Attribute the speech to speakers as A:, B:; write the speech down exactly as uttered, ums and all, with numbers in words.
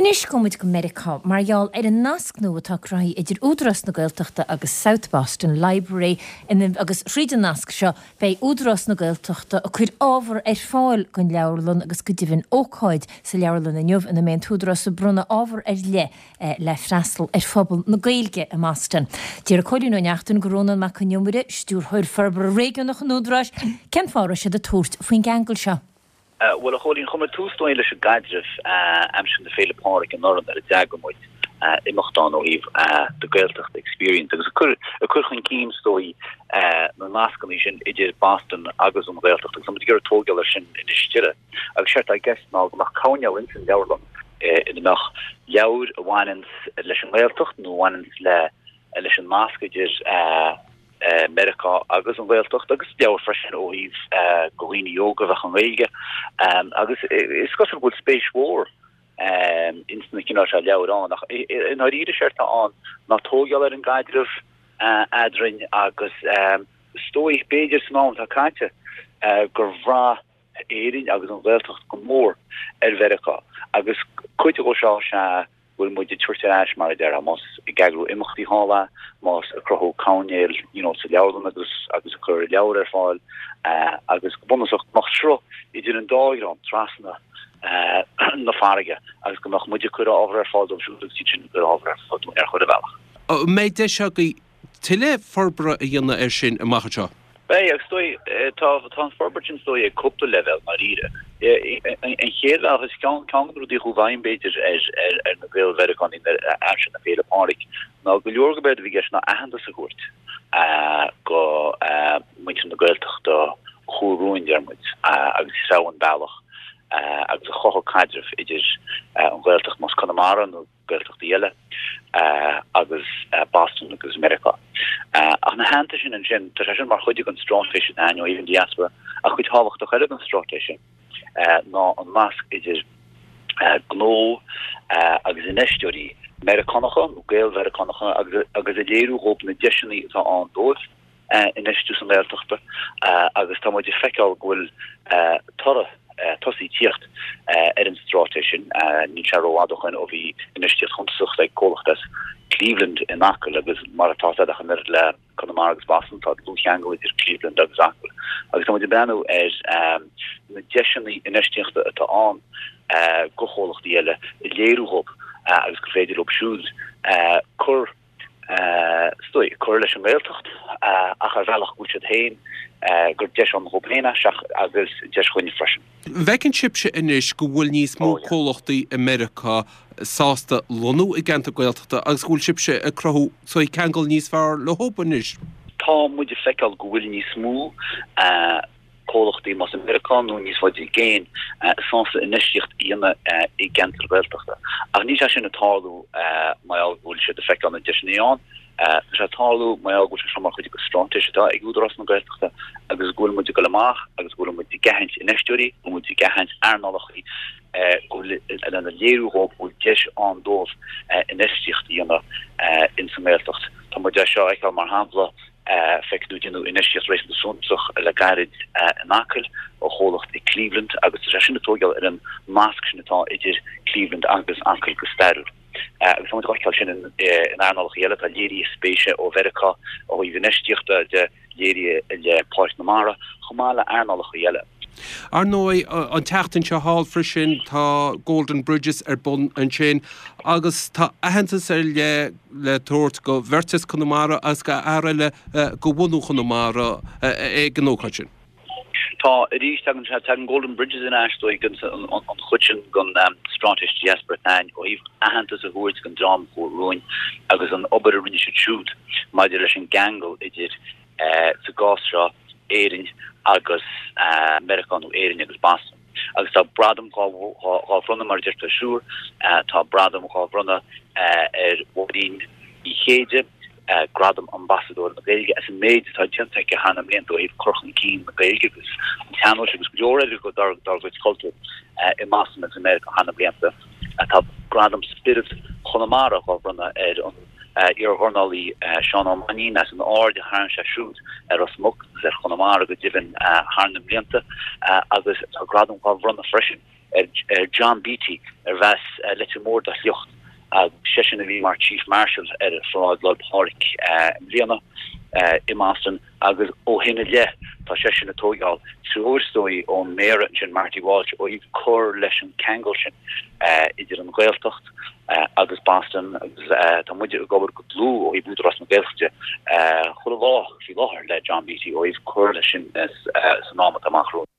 A: Anois gabhfaidh muid go Meiriceá mar gheall ar an nasc nua atá cruthaithe idir Údarás na Gaeltachta agus South Boston Library ina, agus thríd an nasc seo beidh Údarás na Gaeltachta ag cur ábhar ar fáil don leabharlann agus go deimhin ócáid sa leabharlann inniu ina mbeidh an tÚdarás ag bronnadh ábhar ar leith eh, le freastal ar phobal na Gaeilge i mBoston. Deir Cóilín Ó Neachtain go Rónán Mac Con Iomaire, stiúrthóir forbartha réigiúnach an Údaráis, cén fáth a raibh siad ag tabhairt faoin gceangal seo.
B: Bhuel a Chóilín, chuir muid tús dóigh leis an gcaidreamh aimsir na Féile Pádraig anuraidh nuair a d'eagraigh muid imeacht ann ó thaobh the Gaeltacht Experience agus ag cur ag cur chun cinn is dóigh na nascanna sin idir Boston agus an Ghaeltacht agus tá muid ag iarraidh tógáil air sin anois tuilleadh. Agus séard atá i gceist ná go mbeadh coirnéal ins an leabharlann ina mbeadh leabhair a bhaineann leis an nGaeltacht nó a bhaineann le leis an nasc idir Meiriceá agus an Ghaeltacht agus leabhair freisin ó thaobh go dhaoine óga a bheadh an Ghaeilge agus is cosúil go bhfuil spéis mhór ins na cineál seo leabhar ann ach i ndáiríre séard atá ann ná tógáil ar an gcaidreamh eadrainn agus is dóigh b'fhéidir san am atá caite gur bhraith Éirinn agus an Ghaeltacht go mór ar Mheiriceá agus cuid de seo is ea go bhfuil muid ag tabhairt ar ais mar a déarfá, más ag eagrú imeachtaí thall é, más ag cruthú coirnéal you know sa leabharlann agus agus ag cur leabhar ar fáil agus go bunúsach go mbeadh sruth idir an dá dhream trasna na farraige agus go mbeadh muid ag cur ábhar ar fáil dóibh siúd agus iad sin ag cur ábhar ar fáil dúinn ar chuile bhealach.
C: An mbeidh deis agaibh tuilleadh forbartha a dhéanamh air sin amach anseo?
B: Beidh, agus is dóigh, tá tá an forbairt sin is dóigh ag cúpla leibhéal, ndáiríre. An chéad bhealach is ceann ceann de na rudaí a chuaigh i bhfeidhm, b'fhéidir, ar ar ar na Gael-Mheiriceánaigh aimsir na Féile Pádraig ná go leor go b'éard a bhí i gceist ná aitheantas a thabhairt go muintir na Gaeltachta a chuaigh romhainn, deir muid, agus a threabh an bealach agus a chothaigh caidreamh idir an Ghaeltacht, más Conamara nó Gaeltachtaí eile agus Boston agus Meiriceá. Ach ina theannta sin ansin, tá sé sin mar chuid den straitéis atá againn ó thaobh an diaspora, ach cuid thábhachtach eile den straitéis sin ná an nasc idir gnó agus infheisteoirí Meiriceánacha nó Gael-Mheiriceánacha agus a léiriú dhóibh na deiseanna atá ann dóibh. infheistiú sa nGaeltachta agus tá muid ag feiceáil go bhfuil toradh tosaithe tíocht ar an straitéis sin. Níl sé rófhada ó shin ó bhí infheistíocht shuntasach ag comhlacht as Cleveland in Acaill agus mar atá sé ach an oiread le Conamara agus Boston tá dlúthcheangal idir Cleveland agus Acaill agus tá muid ag breathnú ar na deiseanna infheistíochta atá ann go chomhlachtaí eile a léiriú dhóibh agus gur féidir leo siúd cur is dóigh, cur leis an nGaeltacht ach ar bhealach go bhfuil siad féin, gur deis ann dhóibh féin é agus deis dhúinne freisin.
C: An bhfeiceann sibhse anois go bhfuil níos mó comhlachtaí i Meiriceá sásta lonnú i gceantar Gaeltachta agus go bhfuil sibhse ag cruthú saghas ceangal níos fearr leo anois?
B: Tá muid ag feiceáil go bhfuil níos mó comhlachtaí, más i Meiriceá nó níos faide i gcéin, sásta infheistíocht a dhéanamh i gceantair Ghaeltachta. Ach níl sé sin ag tarlú mar gheall go bhfuil siad ag feiceáil na deiseanna ann. Tá sé ag tarlú mar gheall go bhfuil sé seo mar chuid de straitéis atá ag Údarás na Gaeltachta agus go bhfuil muid ag dul amach agus go bhfuil muid ag aithint infheisteoirí, go bhfuil muid ag aithint earnálacha go bhfuil lena léiriú dhóibh go bhfuil deis ann dóibh infheistíocht a dhéanamh ins an nGaeltacht. Tá muid é seo a fheiceáil mar shampla Feiceann tú déanadh infheistíocht réasúnta suntasach le gairid in Acaill ó chomhlacht i Cleveland agus tá sé sin ag tógáil ar an nasc sin atá idir Cleveland agus Acaill go stairiúil. Agus tá muid á fheiceáil sin in earnálacha eile, tá léirithe spéise ó Mheiriceá ó thaobh infheistíochta de, léirithe i leith Páirc na Mara, chomh maith le earnálacha eile.
C: Ar ndóigh, an tseachtain seo thall freisin tá Golden Bridges ar bun ansin agus tá aitheantas ar leith le tabhairt go bheirt as Conamara agus go fhear eile go bhunadh Chonamara ag an ócáid sin.
B: Tá, arís, tagann sé, tagann Golden Bridges in ais dóigh an chuid sin den straitéis diaspora atá againn ó thaobh aitheantas a thabhairt don dream a chuaigh romhainn agus an obair a rinne siad siúd maidir leis an gceangal idir sa gcás seo, Éirinn agus Meiriceá nó Éirinn agus Boston. Agus tá gradam dhá bhronnadh, mar a deirtear siúr, tá gradam dhá bhronnadh ar Mháirín Uí Chéide, Gradam Ambasadóir na Gaeilge, as an méid atá déanta aici thar na mblianta ó thaobh cur chun cinn na Gaeilge agus an tsean-nóis agus go leor eile dár gcuid cultúir i mBoston agus i Meiriceá thar na blianta. Tá Gradam Spiorad Chonamara dhá bhronnadh ar an iardhornálaí Seán Ó Mainnín as an aird a tharraing sé siúd ar Ros Muc agus ar Chonamara go deimhin thar na mblianta agus tá gradam dhá bhronnadh freisin ar John Beatty arbh as Leitir Móir dá shliocht agus seisean a bhí mar Chief Marshal ar pharáid Lá 'le Pádraig i mbliana i mBoston agus ó shin i leith tá seisean ag tógáil treoir is dóigh ón Méara ansin Marty Walsh ó thaobh cur leis an ceangal sin idir an Ghaeltacht agus Boston agus tá muid ag obair go dlúth ó thaobh Údarás na Gaeltachta chuile lá faoi láthair le John Beatty ó thaobh cur leis sin san am atá amach romhainn.